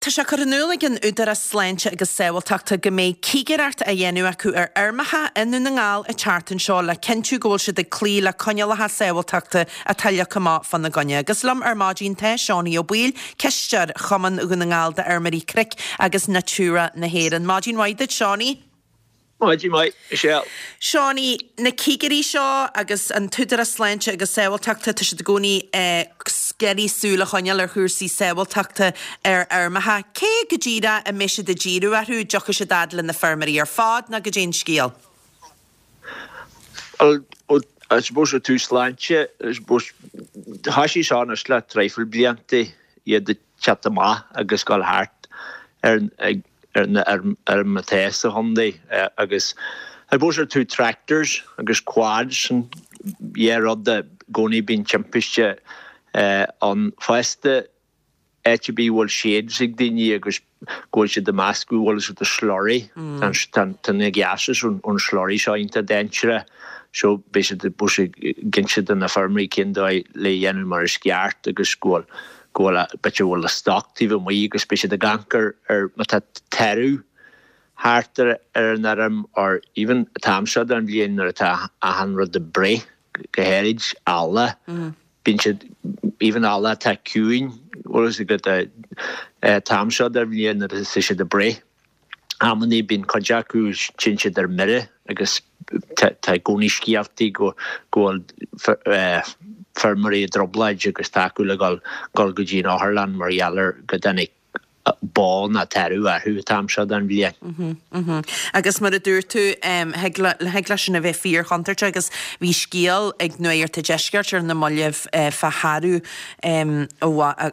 Tá sé curtha in iúl ag an Údarás Sláinte agus Sábháilteachta go mbeidh cigireacht á dhéanamh acu ar fheirmeacha i nDún na nGall an tseachtain seo le cinntiú go bhfuil siad ag cloí le coinníollacha sábháilteachta atá leagtha amach fána gcoinne. Agus liom ar maidin tá Seánie Ó Baoill, Cisteoir Chumann Dhún na nGall d'Fheirmeoirí Cnoic agus Natura na hÉireann. Maidin mhaith duit, Seánie. Maidin mhaith, Michelle. Seánie, na cigirí seo agus an tÚdarás Sláinte agus Sábháilteachta, tá siad i gcónaí ag iarraidh súil a choinneáil ar chúrsaí sábháilteachta ar fheirmeacha. Cé go díreach a mbeidh siad ag díriú orthu? Dtiocfaidh siad fhad le na feirmeoirí ar fad nó goidé an scéal? Bhuel, I suppose ó thaobh sláinte, I suppose, thoisigh seo anois le traidhfil blianta, iad ag teacht amach agus dul thart ar ar na feirmeacha atá sa chontae agus I suppose ar taobh tractors agus quads sin dhá rud i gcónaí bíonn timpiste ann fosta áit ar bith a bhfuil sheds ag daoine agus go bhfuil siad ag meascadh bhfuil siad ag slurry tá na gases ón slurry seo iontach dainséarach so beidh siad ag inse do na feirmeoirí cén dóigh le dhéanamh mar is ceart agus go bhfuil go bhfuil b'fhéidir go bhfuil a stoc taobh amuigh agus beidh siad ag amharc ar ar má tá tarbh thart ar ar an fheirm or even an t-am seo den bhliain nuair atá achan rud ag breith go háirid ealla bíonn siad even ealla atá ciúin bhfuil fhios agat an t-am seo den bhliain nuair atá siad ag breith. Amannaí bíonn cuid acu, téann siad ar mire agus tá i gcónaí scéaltaí go bhfuil feirmeoirí i dtrioblóid agus tá acu le dhul go dtí an otharlann mar gheall ar go dtáinig bó nó tarbh orthu an t-am seo den bhliain. Agus mar a dúirt tú, thig leis sin a bheith fíor-chontúirteach agus bhí scéal ag Nuacht an Deiscirt ar na mallaibh fá tharbh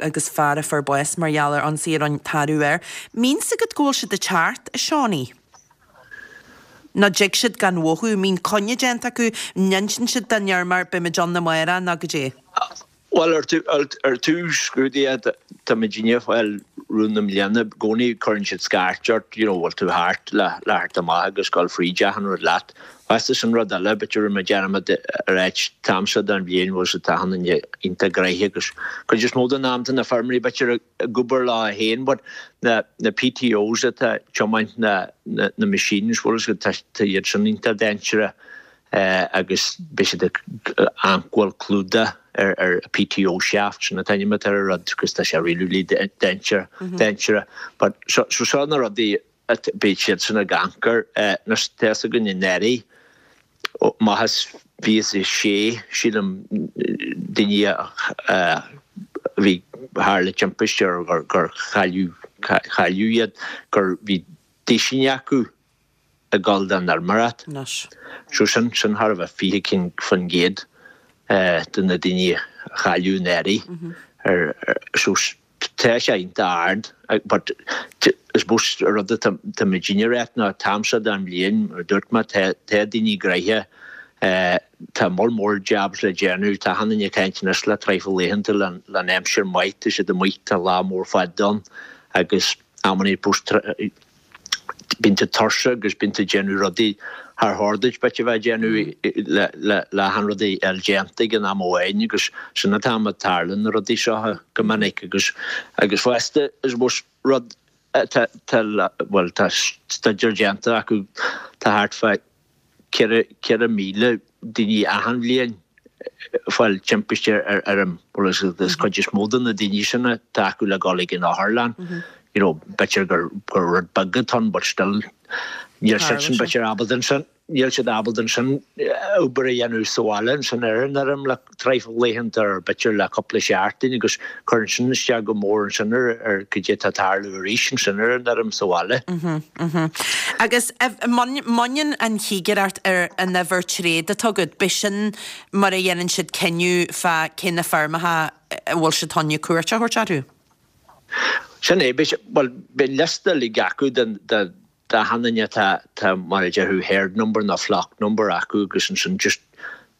agus fear a fuair bás mar gheall ar ionsaí a rinne tarbh air. Mbíonn 's agat go bhfuil siad ag teacht, a Seánie? Nó dtig siad gan mhothú? Mbíonn coinne déanta acu? N-inseann siad don fheirmeoir beimid ann amárach nó goidé? Bhuel, ar taobh scrúdaithe, tá muidinne ag fáil rún na mbliana, i gcónaí cuireann siad scairt ort, you know, bhfuil tú thart le theacht amach agus dul fríd achan rud leat. Fosta sin rud eile, b'fhéidir rinne mé dearmad a ráit, an t-am seo den bhliain bhfuil siad achan duine iontach gnoitheach agus cuid is mó den am tá na feirmeoirí b'fhéidir ag obair leo féin but na na PTOs atá ag tiomáint na na na machines bhfuil fhios agat tá iad sin iontach dainséarach agus beidh siad ag amharc go bhfuil clúdach ar ar PTO shaft sin an t-ainm atá ar an rud agus tá sé really really dainséarach dainséarach but so so seo na rudaí Beidh siadsan ag amharc air. Anois, tá fhios againn anuraidh, amach as 26, sílim, daoine a bhí tharla timpiste or gur cailleadh iad, gur bhí duisín acu ag dul don fheirmeoireacht. So sin, sin thar a bheith 20 cinn faoin gcéad de na daoine a cailleadh anuraidh. So Tá sé iontach ard but I suppose an rud atá muidinne a ráit ná an t-am seo den bhliain, mar a dúirt mé, tá daoine gnoitheach, tá moll mór jobs le déanamh, tá achan duine ag caint anois le traidhfil laethanta le aimsir maith, tá siad amuigh, tá lá mór fada ann agus amannaí Bíonn tú tuirseach agus bíonn tú ag déanamh rudaí char chóir duit b'fhéidir a bheith ag déanamh le achan rud a fháil déanta ag an am amháin agus sin an t-am a tarlaíonn na rudaí seo go minic agus agus fosta I suppose rud atá bhuel tá staidéar déanta acu tá thart fá 4,000 daoine achan bhliain ag fáil timpiste ar fheirm agus cuid is mó de na daoine sin atá acu le dhul ag an otharlann you know b'fhéidir gur gur rud beag atá ann but still níl siadsan b'fhéidir ábalta ansin níl siad ábalta ansin obair a dhéanamh sa bhaile ansin ar an fheirm le traidhfil laethanta or b'fhéidir le cúpla seachtain agus cuireann sin isteach go mór ansin ar ar cad é atá ag tarlú arís ansin ar an fheirm sa bhaile. Agus mbaineann an chigireacht ar an uimhir tréad atá agat, b'shin mar a dhéanann siad cinneadh fá cé na feirmeacha a bhfuil siad chun cuairt a thabhairt orthu? Sin é, bhuel, beidh liosta uilig acu den, de, D'achan duine tá tá mar a déarfá herd number nó flock number acu agus ansin just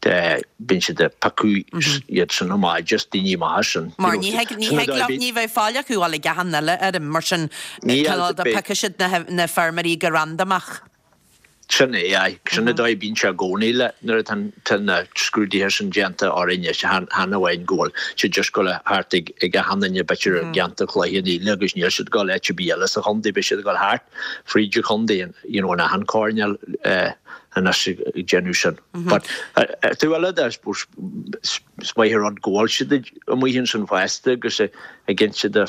bíonn siad ag piocadh iad sin amach just daoine maithe sin. Mar ní thig ní thig leo ní bheidh fáil acu dul ag achan uile fheirm mar sin cineál de piocfaidh siad na na feirmeoirí go randamach. Sin é, aye. Sin an dóigh a bíonn sé i gcónaí le nuair atá tá na scrúduithe sin déanta orainn is chan amháin go bhfuil siad just ag dul thart ag ag achan duine b'fhéidir i gceantar Chloich Cheann Fhaola agus níl siad ag dul áit ar bith eile sa chontae, beidh siad ag dul thart fríd an chontae you know in achan choirnéal anois ag déanamh sin. But ar taobh eile de I suppose is maith an rud go bhfuil siad amuigh ansin fosta agus ag inse do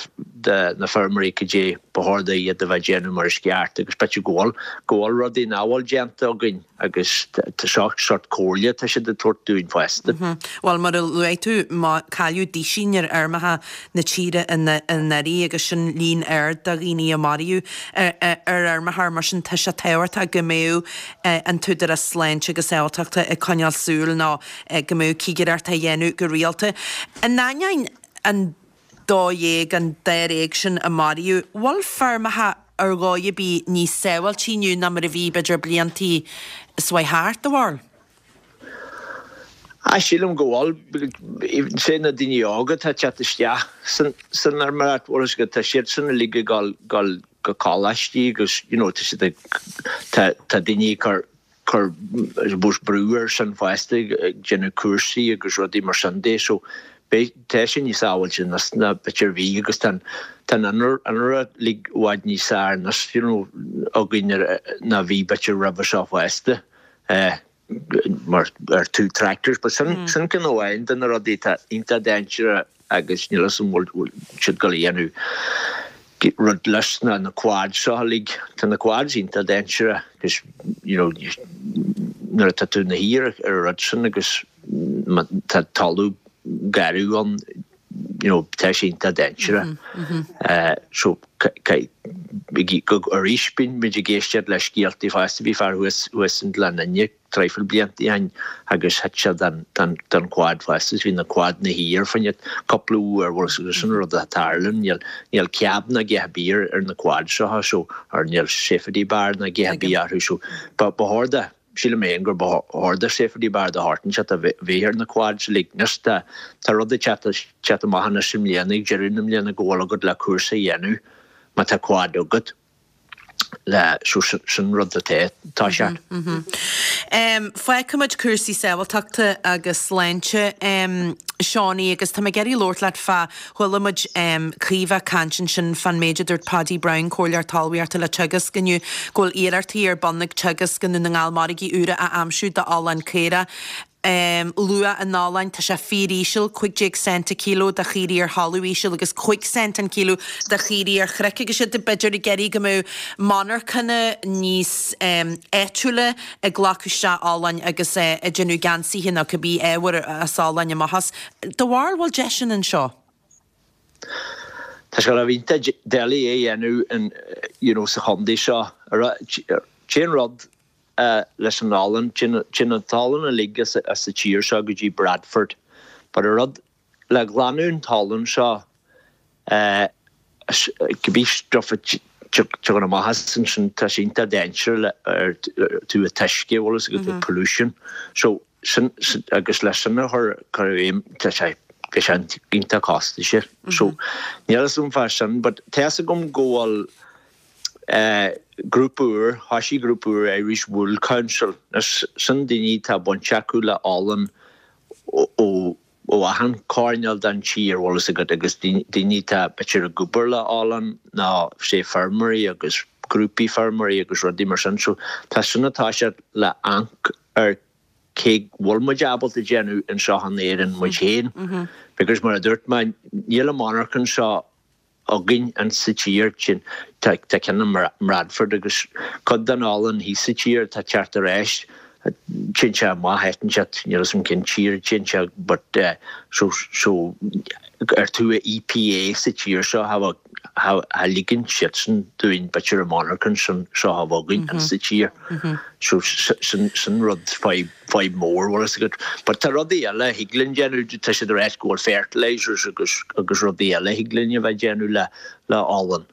na feirmeoirí cad é ba chóir do iad a bheith ag déanamh mar is ceart agus b'fhéidir go bhfuil, go bhfuil rudaí nach bhfuil déanta againn agus tá seo sort comhairle atá siad ag tabhairt dúinn fosta. Bhuel, mar a luaigh tú, cailleadh duisín ar fheirmeacha na tíre anuraidh agus sin líon ard de dhaoine a maraíodh ar fheirmeacha mar sin tá sé tábhachtach go mbeadh an tÚdarás Sláinte agus Sábháilteachta ag coinneáil súil nó go mbeadh cigireacht á dhéanamh go rialta. In ainneoin an 12, an dáréag sin a maraíodh, bhfuil feirmeacha ar dhóigh ar bith níos sábháiltí inniu ná mar a bhí b'fhéidir bliantaí is mhaith thart, do bharúil? Ah, sílim go bhfuil. Even say na daoine óga atá ag teacht isteach san san fheirmeoireacht, bhfuil a fhios agat, tá siadsan uilig ag dul dul go coláistí agus you know tá siad ag tá tá daoine ag cur cur I suppose brú air sin fosta ag déanamh cúrsaí agus rudaí mar sin de so beidh tá sé níos sábháilte anois ná b'fhéidir bhí agus tá an tá an innealra uilig i bhfad níos fearr anois you know againn ná bhí b'fhéidir roimhe seo fosta mar ar tú tractors but sin sin ceann amháin de na rudaí atá iontach dainséarach agus níl fhios agam bhfuil siad ag dul a dhéanamh rud leis na na quads seo uilig. Tá na quads iontach dainséarach agus you know nuair atá tú ina shuí ar an rud sin agus má tá talamh garbh ann you know tá sé iontach dainséarach. So arís bíonn muid ag éisteacht le scéaltaí fosta bhí fear thuas thuas in Gleann Fhinne traidhfil blianta ó shin agus thit sé den quad fosta is bhí na quad ina shuí air fá choinne cúpla uair bhuel is sin rud a tharlaíonn níl níl cab ná a dhath ar bith ar na quads seo so or níl safety bar ná a dhath ar bith orthu so ba ba chóir do sílim féin gur ba chóir do safety bar de shórt inteacht a bheith ar na quads like anois tá tá rud ag teacht teacht amach anois i mbliana ag deireadh na mbliana go bhfuil agat le cúrsa a dhéanamh má tá quad agat. le so sin rud atá tá sé. Fágfaimid cúrsaí sábháilteachta agus sláinte, Seánie, agus tá mé ag iarraidh labhairt leat fá, chuala muid Caoimhe ag caint ansin fán méid a dúirt Paddy Browne, Comhairleoir Talmhaíochta le Teagasc inniu, go bhfuil iarrachtaí ar bun ag Teagasc i nDún na nGall margaí úra a aimsiú d'olann caorach. Luach an ollainn, tá sé fíoríseal, 15 cent an kilo do chaoirigh ar thalamh íseal agus 5 cent an kilo do chaoirigh ar chnoic agus iad b'fhéidir ag iarraidh go mbeadh monarchana níos áitiúla ag glacadh isteach olann agus ag déanamh geansaithe nó cibé ábhar as olann amach as. Do bharúil bhfuil deiseanna anseo? Tá sé go iontach doiligh é a dhéanamh you know sa chontae seo. Cén rud leis an olann. Téann an t-olann uilig as an tír seo go dtí Bradford. But an rud le glanadh an t-olann seo, cibé stuff a tagann amach as ansin, tá sé iontach dainséarach ar tú an t-uisce, bhfuil fhios agat, the pollution. So sin, agus le sin a chur i bhfeidhm, tá sé, tá sé iontach costasach. So níl fhios agam fá sin, but tá fhios agam go bhfuil Grúpa úr, thoisigh grúpa úr Irish Wool Council. Anois, sin daoine atá baint acu le olann ó ó achan choirnéal den tír, bhfuil fhios agat, agus daoine atá b'fhéidir ag obair le olann nó say feirmeoirí agus grúpaí feirmeoirí agus rudaí mar sin. So tá sin ag toiseacht le amharc ar cé bhfuil muid ábalta déanamh anseo in Éirinn muid féin. Because mar a dúirt mé, níl an monarchan seo againn in sa tír sin. Tá ceann i mBradford agus cuid den olann thíos sa tír atá ag teacht ar ais. Téann sé amach áit inteacht, níl 'fhios a'm cén tír a dtéann sé but so so ar tú a EPA sa tír seo cha cha ligeann siadsan dúinn b'fhéidir an monarchan sin seo a bheith againn in sa tír. So sin sin rud fadhb fadhb mór, bhfuil fhios agat. But tá rudaí eile a thig linn déanamh, tá siad ag ráit go bhfuil fertilisers agus agus rudaí eile a thig linn a bheith déanamh le le olann.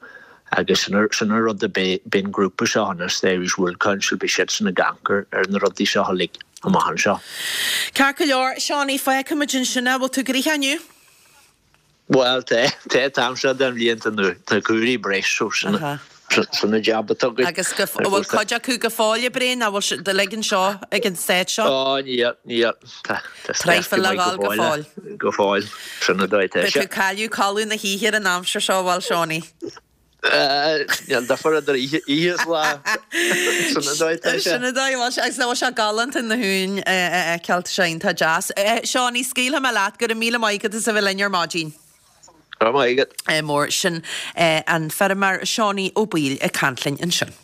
Agus sin sin an rud a beidh beidh an grúpa seo anois, the Irish Wool Council, beidh siadsan ag amharc ar ar na rudaí seo uilig amach anseo. Ceart go leor, Seánie, fágfaimid ansin é. Bhfuil tú gnoitheach inniu? Bhuel, tá, tá, an t-am seo den bhliain tá na tá caoirigh breis so sin. Sin an jab atá againn. Agus go, an bhfuil cuid acu go fóill, a Bhriain, nó bhfuil siad uilig anseo ag an seit seo? Ó, níl, níl. Tá Traidhfil le dhul go fóill. Go fóill. Sin an dóigh atá sé. Beidh tú ag cailleadh codladh na hoíche ar an aimsir seo, a bhfuil, Seánie? Níl difear idir oíche is lá. Sin an dóigh atá sé. Sin an dóigh a bhfuil sé. Agus nach bhfuil sé galánta na huain a fheiceáil, tá sé iontach deas. Seánie, scaoilfidh mé leat, go raibh míle maith agat as a bheith linn ar maidin. Go raibh maith agat. Mór. Sin an feirmeoir Seánie Ó Baoill ag caint linn ansin.